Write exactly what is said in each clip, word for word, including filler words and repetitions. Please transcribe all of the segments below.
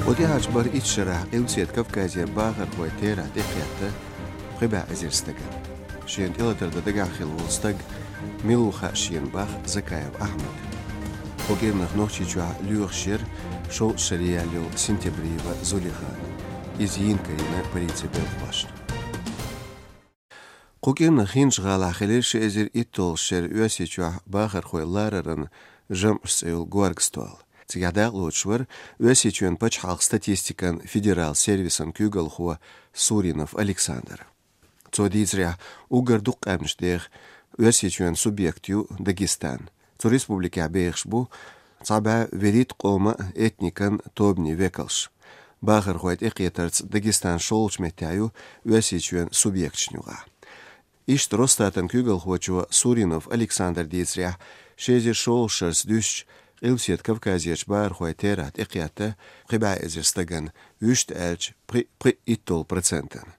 Кху тӀаьхьарчу бархӀ-итт шарахь Къилбаседа Кавказера бахархойн терахь тӀекхетта пхи бӀе эзар стагана. Шена тӀелатар дан дагахь хилла волу стаг мила ву хаа шена бах Закаев Ахьмада. Кху кӀирнах Нохчийчохь лоьхуш яра шовзткъа шаре яьлла йолу Синтябриева Зулихана. Иза йийна карийна полицин белхалошна. Кху кӀирнах ХӀинжа-ГӀалахь хилира ши эзар итталгӀачу шеран Оьрсийчохь бахархой лараран жамӀаш цӀе йолу горга стол. Цигахь дакъалоцуш вара Оьрсийчоьнан пачхьалкхан статистикан федералан сервисан куьйгалхо Суринов Александр. Цо дийцарехь, уггар дукха къаьмнаш деха Оьрсийчоьнан субъект ю Дагестан. Цу республикехь бехаш бу цхьа бӀе вуьрхӀитта къоман а, этникан а тобанийн векалш. Бахархой тӀекхетарца Дагестан шолгӀачу меттехь ю Оьрсийчоьнан субъекташна юкъахь. Иштта Росстатан куьйгалхочо Суринов Александра дийцарехь, ши эзар шолгӀачу шарца дуьстича, Къилбаседа Кавказерчу бахархойн терахь тӀекхетта пхи бӀе эзар стагана, вуьшта аьлча, пхи-, пхи-, итталгӀа процентана.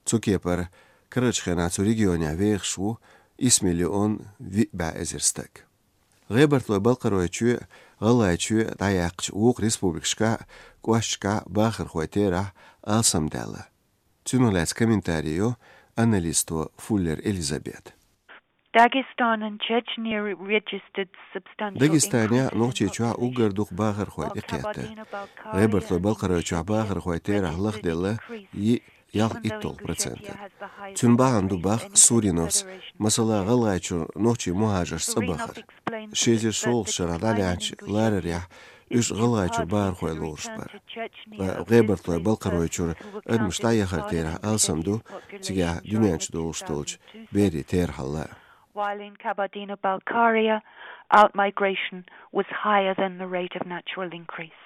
Цу кепара, карарчу хенахь цу регионехь вехаш ву исс миллион виъ бӀе эзар стаг. ГӀебартлойн-Балкхаройчоь а, ГӀалгӀайчоь а дӀаяьккхича, вукху республикашкахь а, кӀошташкахь а бахархойн терахь алсамдаьлла. Цунах лаьцна комментари йо аналисто Фуллер Элизабета. Dagestan and Chechnya registered substantial Дагестанехь а, increases in Нохчийчохь а population, уггар дукха бахархой while тӀекхетта. Kabardino-Balkaria ГӀебартлойн-Балкхаройчохь бахархой терахь лахделла йиъ-ялх-итталгӀа процентана. Цуьнан бахьана ду бах Суриновс, масала, ГӀалгӀайчуьра нохчийн мухӀажарш цӀа бахар. Ши эзар шолгӀачу шарахь дӀалаьцначу ларарехь уьш ГӀалгӀайчуьра бахархой лоруш бара. Ткъа ГӀебартлойн-Балкхаройчуьра адамаш дӀаяхар терахь алсам ду цигахь дуьнен чу долуш долчу берийн терахьалла. While in Kabardino-Balkaria, outmigration was higher than the rate of natural increase.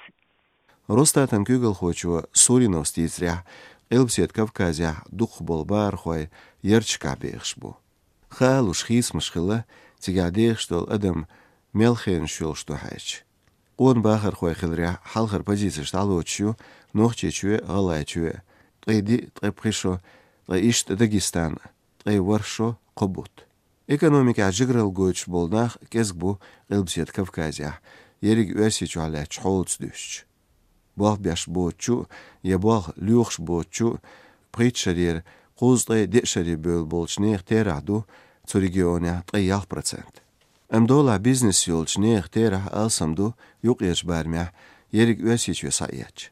Росстатан куьйгалхочо Суриновс дийцарехь, Къилбаседа Кавказехь дукхахболу бахархой ярташкахь бехаш бу. Хаалуш хийцамаш хилла цигахь дехаш долу адам мел хенаш йолуш ду хьаьжча. Къона бахархой хиларехь, хьалхара позицеш дӀалоцуш ю Нохчийчоь а, ГӀалгӀайчоь а, ткъе диъ, ткъе пхи шо, ткъа иштта Дагестан, ткъе ворхӀ шо кхо бутт. Экономикехь жигаралла гойтуш болу нах кӀезиг бу Къилбаседа Кавказехь, ерриг Оьрсийчохь лаьттачу хьолаца дуьстича. Болх беш боцучу я болх лоьхуш боцучу пхийтта шарера кхузткъе деа шаре бевлла болчу нехан терахь ду цу регионехь ткъе ялх процент. Амма долахь бизнес йолчу нехан терахь алсам ду юккъерчу барамехь, ерриг Оьрсийчоь схьаэцча.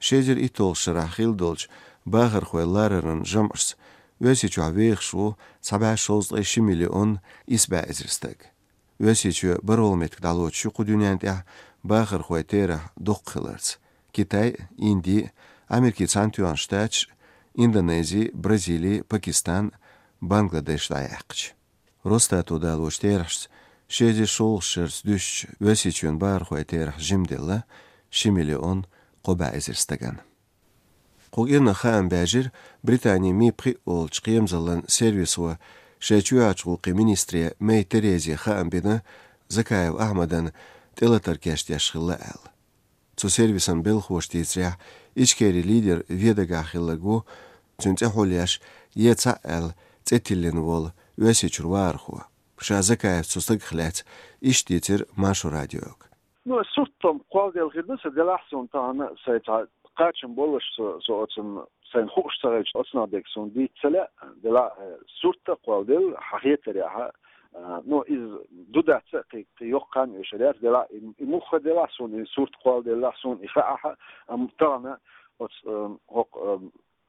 Ши эзар итталгӀачу шарахь хилла долчу бахархой лараран жамӀашца Оьрсийчохь вехаш ву цхьа бӀе шовзткъе ши миллион исс бӀе эзар стаг. Оьрсийчоь бархӀалгӀа меттиг дӀалоцуш ю кху дуьнен тӀехь бахархой терахь дукха хиларца. Китай, Инди, Америкин Цхьаьнатоьхна Штаташ, Индонези, Бразили, Пакистан, Бангладеш дӀаяьккхича. Росстато далочу терахьашца, ши эзар шолгӀачу шарца дуьстича, Оьрсийчоьнан бахархой терахь жимделла ши миллион кхо бӀе эзар стагана. Кху кӀирнах хаам баьржира Британин Ми пхиъ олучу кхерамзаллин сервисо шайн чоьхьарчу гӀуллакхийн министре Мэй Терезе хаам бина Закаев Ахьмадан тӀелатар кечдеш хилла аьлла. Цу сервисан белхалоша дийцарехь, Ичкерин лидер вен дагахь хилларг ву, цуьнан цӀе хьулъеш, е цхьаъ аьлла, цӀе тиллина волу Оьрсийчуьра вахархо. Ша Закаевс цу стагах лаьцна иштта дийцира Маршо радиога. Ну, сурт-м кхолладелла хир ду сан, делахь суна тахана сайн цхьа кхачам болуш со, со оцунна сайна хууш ца хилча, оцунах дерг суна дийца ца лаьа, делахь, э, сурт а кхолладелла, хьан хетарехь, а, ну, иза ду дац а кхин, кхин йоккха хан а йолуш яц, делахь, и, и муха делахь суна, и сурт кхолладеллахь суна, и хаахь, амма тахана оцу, э, хӀокху, э,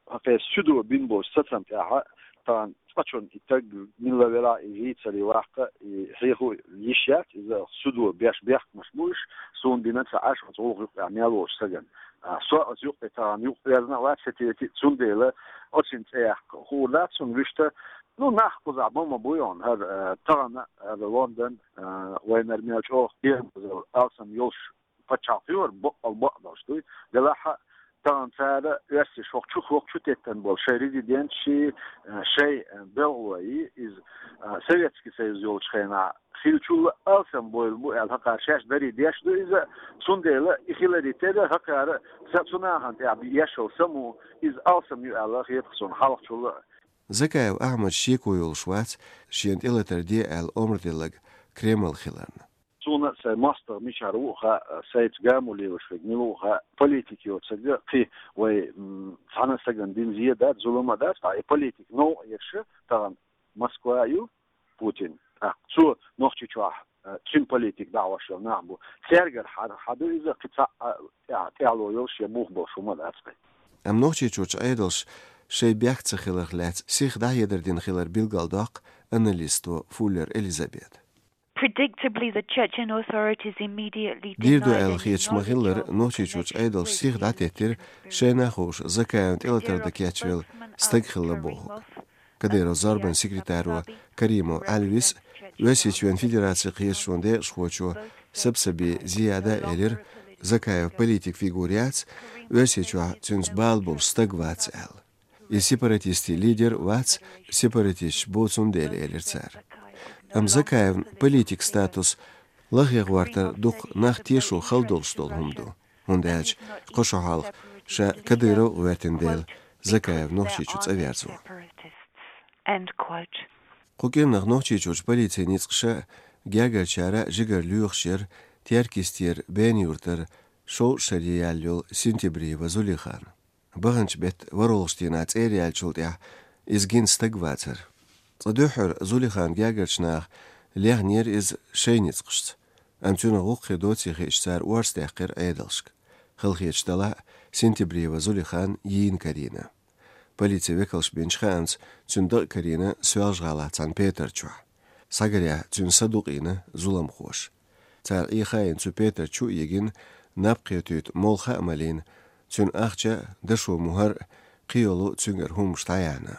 хӀокху суьдо бина болчу сацам тӀехь, тахана цкъачунна и стаг милла велахь, и вийцаре ваккха, и хьехо йиш яц, иза суьдо беш бехкамаш бу уьш, суна бина ца Ӏаш оцу гӀуллакх юккъехь мел волчу стагана. А, со оцу юккъе тахана юкъа верзина а вац, сатийти, цундела оцуьнан цӀе яккха хуур дац суна вуьшта. Ну, нах кхузахь бан ма буй хьуна, хӀара, а, тахана, хӀара Лондон, а, вайнара мел чӀогӀа кхерамазалла алсам йолуш пачхьалкх ю хӀара, баккъал бакъдолуш дуй. Делахь а, тахана цара оьрсаша хӀокху чу, хӀокху чу теттина болу шайн резиденташ, а, шайн, а, белхалой, иза, а, Советский Союз йолчу хенахь хиллачул а алсам бевлла бу аьлла, хӀокхара шаьш дарий деш ду иза, цундела и хиларе терра, хӀокхара са цу нахана тӀехь еш йолу саму, иза алсам ю аьлла хета суна хьалхачул а. Закаев Ахьмад шеко йолуш вац шена тӀелатар де аьлла омра делларг Кремль хиларна. Цо Сайн мостагӀа мичара ву а хаьа, сайца гамо лелаш верг мила ву а хаьа, политика йоцург кхин вай, м, цхьана сагана дина зе дац, зулам а дац, ткъа и политика новкъа еш тахан Москва ю, Путин. ТӀаккха цо Нохчийчохь, э, цуьнан политика дӀахьош йолу нах бу. Цаьргара хьа-, хьан ду иза, кхин цхьаъ, а, тӀе-, тӀаьхьало йолуш я бух болуш хӀума дац кхин. Амма Нохчийчуьрчу Ӏедалша шайн бехк ца хиларх лаьцна сиха дӀахьедар дина хилар билгалдоккху аналисто Фуллер Элизабет. Predictably, the Chechen authorities immediately Дийр ду аьлла хеташ ма-хиллара, Нохчийчуьрчу Ӏедалша сиха дӀатеттира шайна хууш Закаевна тӀелатар дан кечвелла стаг хилла бохург. Кадыровн зорбанан секретаро Каримов Ӏалвис а, Оьрсийчоьнан Федерацин кхеташонан декъашхочо Сабсаби Зияда а элира, Закаев политик фигура яц, Оьрсийчохь цуьнца бала болуш стаг вац аьлла. И сепаратистийн лидер вац, сепаратисташ бу цундела, элира цара. Амма Закаевн политик статус лахе гӀортар дукха нах тешо хала долуш долу хӀума ду, хӀунда аьлча кхо шо хьалха ша Кадыров а гӀоьртина дела, Закаев Нохчийчу цӀа верзо. Кху кӀирнах Нохчийчуьрчу полицин ницкъаша а, гергарчара а жигара лоьхуш яра Теркйистера Бен-Юьртара шовзткъа шаре яьлла йолу Синтибриева Зулихан. Баханчу беттан ворхӀалгӀачу дийнахь цӀера яьллачул тӀаьхьа иза гина стаг вацара. Цкъа дуьххьара Зулихана гергарчу наха лехнера иза шайн ницкъашца, амма цуьнан гӀуллакх доций хиъча, цара орца даьккхира Ӏедалшка. Хала хеташ делахь а, Синтибриева Зулихан йийна карийна. Полицин векалша бинчу хаамца, цуьнан дакъа карийна Соьлжа-ГӀалахь цхьана петар чохь. Схьагарехь, цуьнан са дукъийна зуламхоша. Цара Ӏехийна цу петар чу а йигина, наб кхетийта молха а малийна, цуьнан ахча а, дашо мухӀар а, кхийолу цуьнгара хӀуманаш дӀаяьхьна.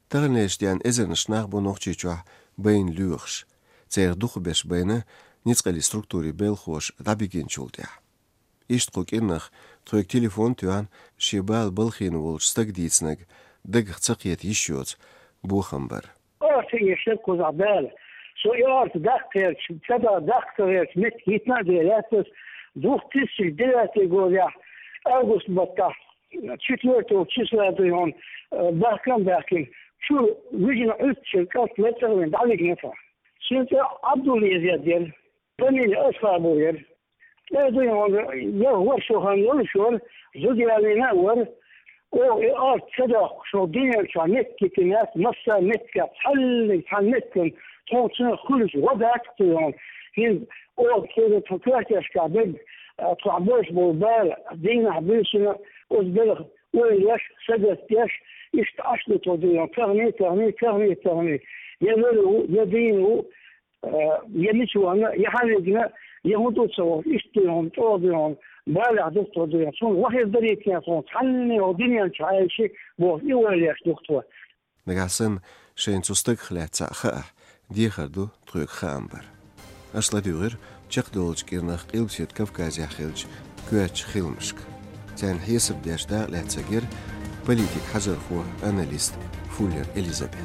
Таханлерчу дийнахь эзарнаш нах бу Нохчийчохь байна лоьхуш. Церан дукхахберш байна ницкъаллин структурийн белхахоша дӀабигинчул тӀаьхьа. Иштта кху кӀирнах тхоьга телефон а тоьхна, шен бала балхийна волчу стага дийцинарг дагах ца кхета йиш йоцу бохам бара. Орца еш яра кхузахь бала. Со и орца даккха гӀерташ, ца да-, даккха ца гӀерташ, меттиг йитина а дела лаьттас, двух тысячи девятый годехь, август баттахь, четвёртого числа дуй хьуна, э, бахкам баьхкина, чу вижина Ӏуьттачун кӀант лацкъарвина дӀавигна тхо. Цуьнан цӀе Ӏабдуллезет яра. Фамилия Асхабов яра. ТӀе дуй хьуна, я вара шо хан йолуш вара, зуда ялийна а вара. Оха и орца ца доккхуш, хӀокху дуьнен чохь меттиг йитина яц, массара меттигехь цхьаннега цхьана меттиган тхуна цунах хуьлуш гӀо дац-кх дуй хьуна. ХӀинца оха церан тхо коьртешкахь берг, а, тхох болуш болу бала, дийнахь буьйсина, оцу белхан ойла еш, сагатдеш, иштта Ӏаш ду тхо дуй хьуна, тахана, тахана, тахана, тахана. Я лур ву, я дийна ву, э, я мича вахана, я хьан вигна, я хӀун ду ца вахана, иштта дуй хьуна, чӀогӀа дуй хьуна, балехь ду тхо дуй хьуна. Суна вахар дарийта тхуна, цхьанне хӀокху дуьнен чу Ӏайши бохуш, и ойла еш ду тхо. Нагахь санна шайна цу стагах лаьцна цхьаъ хаахь, дехар ду тхоьга хаам бар. Аша ладуьйгӀира чекхдолучу кӀирнах Къилбаседа Кавказехь хиллачу коьртачу хиламашка. Царна хьесап деш дакъа лаьцнарг яра политик хьажархо, аналист Фуллер Элизабет.